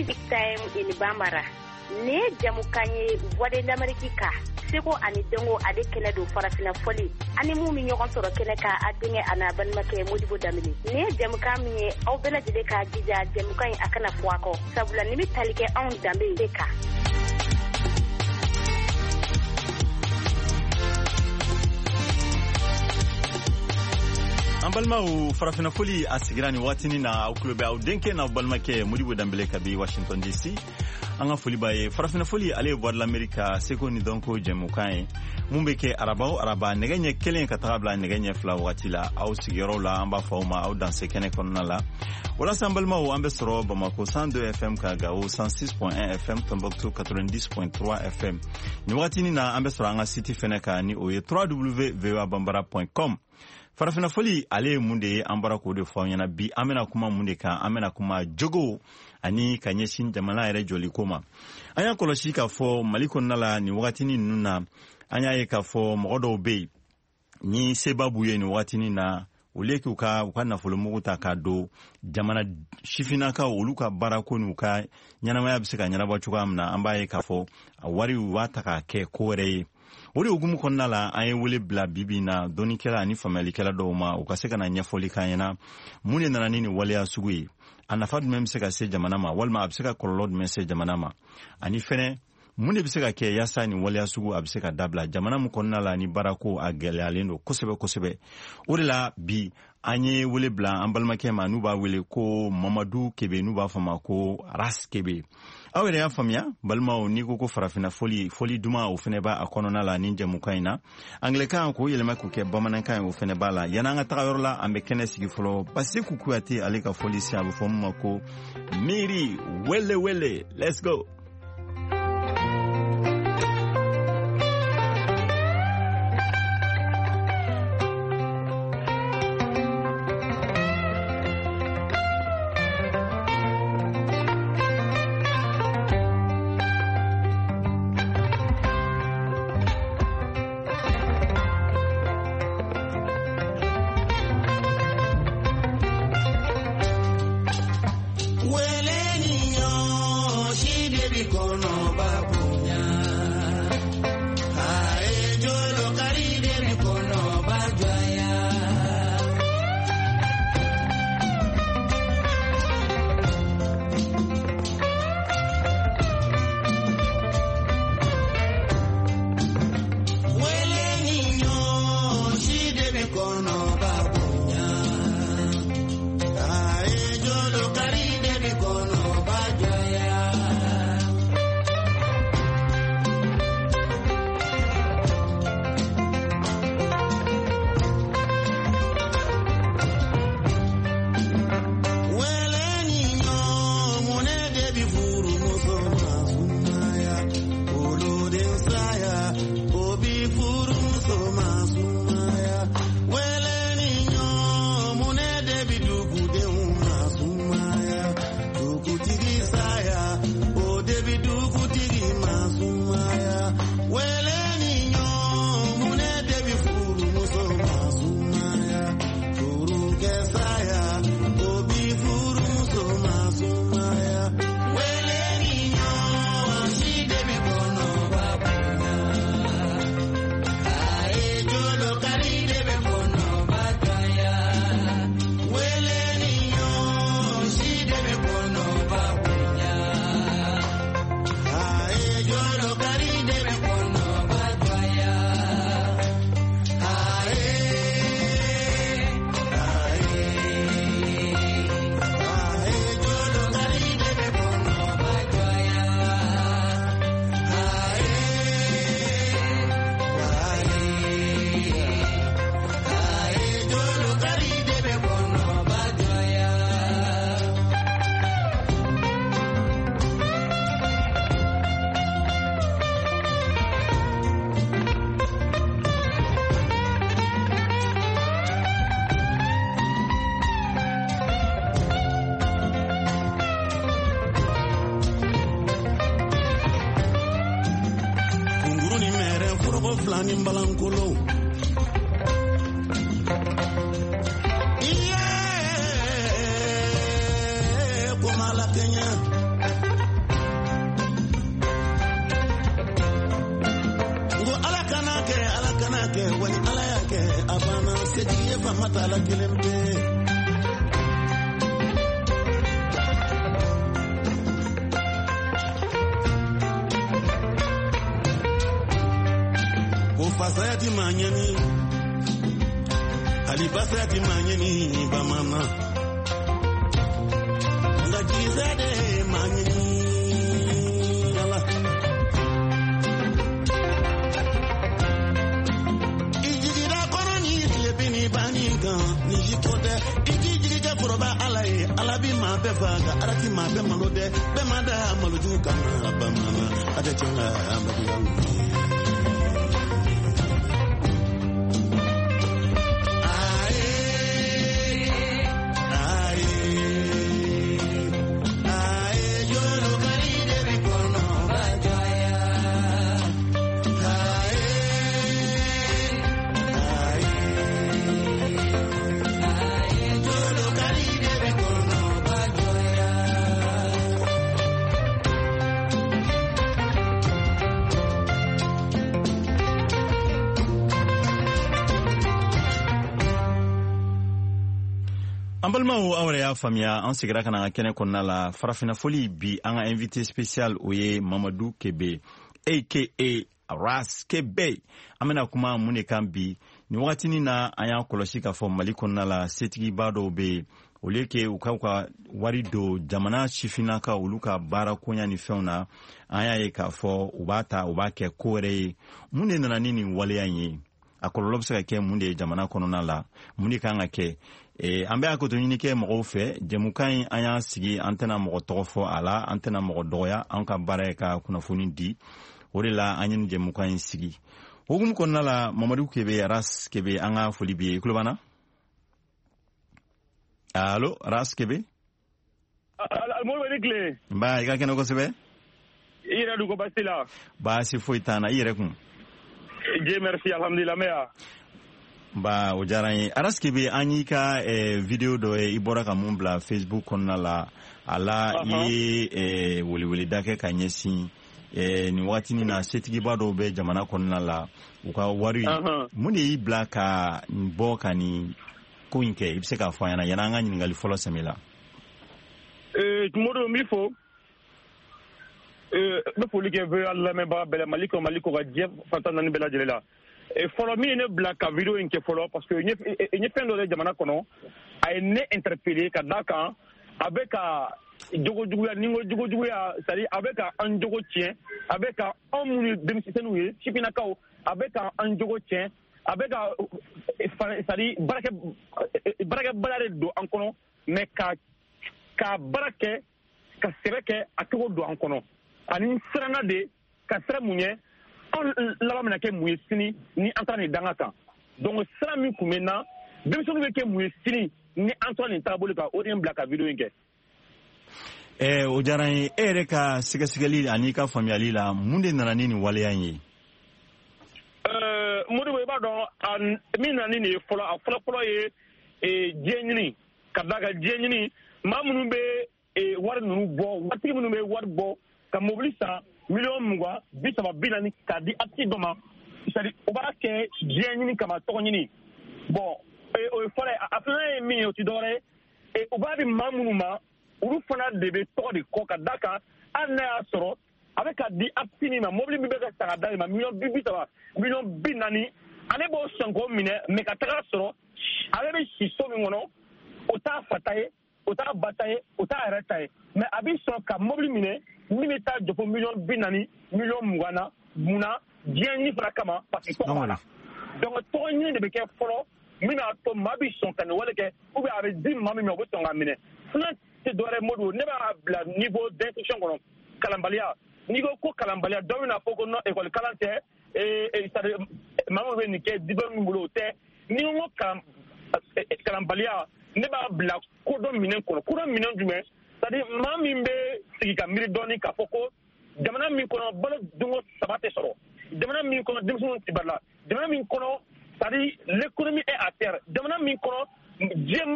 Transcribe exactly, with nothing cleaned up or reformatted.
Music Time in Bambara. Nin ye jamukan ye Voix de l'Amérique kan, seko ani dɔnko ale kɛnɛ don, farafinna fɔli ani mun bɛ ɲɔgɔn sɔrɔ kɛnɛ kan, a denkɛ a n'a balimakɛ Modibo Danbele. Nin ye jamukan min ye, aw bɛɛ lajɛlen k'a jija jamukan in a kana fɔ a kɔ, sabula nin bɛ tali kɛ anw danbe de kan. An balimaw, farafinna foli a sigira nin waatinin na. Aw tulo bɛ aw denkɛ n'aw balimakɛ Modibo Danbele kabi Washington D C. An ka foli b'a ye. Farafinna foli, ale ye Voix de l'Amérique ka seko ni dɔnko jɛmukan ye mun bɛ kɛ araba o araba, nɛgɛ ɲɛ kelen ka taga bila nɛgɛ ɲɛ fila wagati la, aw sigiyɔrɔw la. An b'a fɔ aw ma aw danse kɛnɛ kɔnɔna la. Walasa an balimaw, an bɛ sɔrɔ Bamako cent deux F M ka, Gawo cent six point un F M, Tombouctou quatre-vingt-dix point trois F M. Nin wagatinin na, an bɛ sɔrɔ an ka site fɛnɛ kan, ni o ye w w w point voa bambara point com. Farafinna foli, ale ye mun de ye? An bɔra k'o de fɔ aw ɲɛna. Bi, an bɛna kuma mun de kan? An bɛna kuma jogow ani ka ɲɛsin jamana yɛrɛ jɔliko ma. An y'a kɔlɔsi k'a fɔ Mali kɔnɔna la, nin wagatinin ninnu na, an y'a ye k'a fɔ mɔgɔ dɔw bɛ yen ni seba b'u ye nin wagatinin na, au lieu k'u ka u ka nafolomugu ta k'a don jamana sifinnakaw olu ka baarako n'u ka ɲɛnamaya bɛ se ka ɲɛnabɔ cogoya min na, an b'a ye k'a fɔ a wari, u b'a ta k'a kɛ ko wɛrɛ ye. O de hukumu kɔnɔna la, an ye wele bila bibi na dɔnnikɛla ani faamuyalikɛla dɔw ma, u ka se ka na ɲɛfɔli k'an ɲɛna mun de nana ni nin waleya sugu ye, a nafa jumɛn bɛ se ka se jamana ma, walima a bɛ se ka kɔlɔlɔ jumɛn se jamana ma, ani fɛnɛ mun de bɛ se ka kɛ yaasa nin waleya sugu a bɛ se ka dabila jamana min kɔnɔna la ni baarako a gɛlɛyalen don kosɛbɛ kosɛbɛ. O de la bi, an ye wele bila an balimakɛ ma n'u b'a wele ko Mamadu Kebe, n'u b'a fɔ ma ko Ras Kebe. Aw yɛrɛ y'a faamuya, balimaw, n'i ko ko farafinna foli, foli duman, o fɛnɛ b'a a kɔnɔna la. Ni jɛmukan in na, angilɛkan k'o yɛlɛma k'o kɛ bamanankan ye, o fɛnɛ b'a la. Yan'an ka taga yɔrɔ la, an bɛ kɛnɛ sigi fɔlɔ. Basiku Kuyate, ale ka foli se, a bɛ fɔ min ma ko Miiri Wele Wele. Let's go. Fila ni balankolo iye komala kɛɲɛ. ma t'a la kelen pe. Ko fasaya ti maa ɲɛni, hali basaya ti maa ɲɛni bamanan. Nka jigisaya de ye maa ɲɛni. Ala. I jigira kɔnɔ ni tilebin ni banni kan, ni si ko tɛ. I k'i jigi kɛ foroba Ala ye, Ala bi maa bɛɛ fa, nka Ala ti maa bɛɛ malo dɛ. Bɛɛ ma da malojugu kama bamanan, a tɛ tiɲɛ la maloya. An balimaw, aw yɛrɛ y'a faamuya, an segira ka na an ka kɛnɛ kɔnɔna la. Farafinna foli bi, an ka invité spécial, o ye Mamadu Kebe, aka Ras Kebe. An bɛna kuma mun de kan bi? Nin wagatinin na, an y'a kɔlɔsi k'a fɔ Mali kɔnɔna la, setigiba dɔw bɛ yen, au lieu que u k'u ka wari don jamana sifinnakaw olu ka baara koɲa ni fɛnw na, an y'a ye k'a fɔ u b'a ta, u b'a kɛ ko wɛrɛ ye. Mun de nana ni nin waleya in ye? A kɔlɔlɔ bɛ se ka kɛ mun de ye jamana kɔnɔna la? Mun de kan ka kɛ? E, an bɛ hakoto ɲini kɛ mɔgɔw fɛ. Jɛmukan in, an y'a sigi, an tɛna mɔgɔ tɔgɔ fɔ a la, an tɛna mɔgɔ dɔgɔya. An ka baara ye ka kunnafoni di, o de la an ye nin jɛmukan in sigi. Hukumu kɔnɔna la, Mamadu Kebe, Ras Kebe, an ka foli b'i ye. I tulo b'an na? Allo, Ras Kebe. Moribo, ni tile. Nba, i ka kɛnɛ kosɛbɛ. I yɛrɛ dun, ko baasi la? Baasi foyi t'an na. I yɛrɛ kun? Dieu merci, alhamdulillah, mais ya. Ba, o diyara n ye. Ras Kebe, an y'i ka eh, vidéo dɔ ye, i bɔra ka mun bila Facebook kɔnɔna la. A la, i ye eh, weleweleda kɛ ka ɲɛsin eh, nin wagatinin na, setigiba dɔw bɛ jamana kɔnɔna la, u ka wari. Mun de y'i bila ka bɔ ka nin ko in kɛ? I bɛ se k'a fɔ an ɲɛna yan'an ka ɲininkali fɔlɔ sɛmɛ la. Moribo, n b'i fo. N bɛ foli kɛ V O A lamɛnbaga bɛɛ la, Mali kɔnɔ, Mali kɔ kan, diɲɛ fan tan naani bɛɛ lajɛlen la. Fɔlɔ, min ye ne bila ka vidéo in kɛ fɔlɔ, parce que n ye fɛn dɔ ye jamana kɔnɔ, a ye ne interpellé ka d'a kan a bɛ ka jogo juguya, ni n ko jogo juguya, c'est à dire a bɛ ka an jogo tiɲɛ, a bɛ ka anw minnu ye denmisɛnninw ye, sifinnakaw, a bɛ ka an jogo tiɲɛ, a bɛ ka, c'est à dire, baarakɛ baarakɛbaliya de don an kɔnɔ, mais ka ka baara kɛ, ka sɛbɛ kɛ, a cogo don an kɔnɔ. Ani n siranna de ka siran mun ɲɛ, anw laban bɛna kɛ mun ye sini ni an taara nin danga kan? Donc sira min kun bɛ n na, denmisɛnninw bɛ kɛ mun ye sini ni an tora nin taabolo kan? O de ye n bila ka vidéo in kɛ. Eh, o diyara n ye. E yɛrɛ ka sɛgɛsɛgɛli ani ka faamuyali la, mun de nana ni nin waleya in ye? Modibo, i b'a dɔn min nana ni nin ye fɔlɔ, a fɔlɔ-fɔlɔ ye diɲɛ ɲini, ka d'a kan diɲɛ ɲini, maa minnu bɛ wari ninnu bɔ, waritigi minnu bɛ wari bɔ ka mobili san miliyɔn mugan, bi saba, bi naani k'a di artiste dɔ ma, c'est à dire u b'a kɛ diɲɛ ɲini kama, tɔgɔ ɲini. Bon, o ye fɔlɔ ye. A filanan ye min ye, o ti dɔwɛrɛ ye, u b'a di maa minnu ma, olu fana de bɛ tɔgɔ de kɔ, ka d'a kan hali n'a y'a sɔrɔ a bɛ ka di artiste min ma, mobili min bɛ ka san ka d'a ma miliyɔn bi bi saba, miliyɔn bi naani, ale b'o sɔn k'o minɛ, mais ka taga sɔrɔ ale bɛ si so min kɔnɔ, o t'a fa ta ye, o t'a ba ta ye, o t'a yɛrɛ ta ye, mais a bɛ sɔn ka mobili minɛ min bɛ taa jɔ fo miliyɔn bi naani, miliyɔn mugan na. Mun na? Diɲɛ ɲini fana kama, parce que tɔgɔ b'a la. Donc tɔgɔ ɲini de bɛ kɛ fɔlɔ min b'a to maa bɛ sɔn ka nin wale kɛ, ou bien a bɛ di maa min ma, o bɛ sɔn k'a minɛ. Filanan tɛ dɔwɛrɛ ye, Modibo, ne b'a bila niveau d'instruction kɔnɔ, kalanbaliya. N'i ko ko kalanbaliya, dɔ bɛna fɔ ko non, école kalan tɛ, c'est à dire maa min bɛ nin kɛ, diplôme min bolo, o tɛ. N'i ko ko kalanbaliya, ne b'a bila kodɔn minɛn kɔnɔ. Kodɔn minɛn jumɛn? C'est à dire maa min bɛ sigi ka miiri dɔɔni k'a fɔ ko jamana min kɔnɔ, balo dunko saba tɛ sɔrɔ, jamana min kɔnɔ, denmisɛnninw tɛ balo la, jamana min kɔnɔ, c'est à dire l'économie est à terre, jamana min kɔnɔ, diɲɛ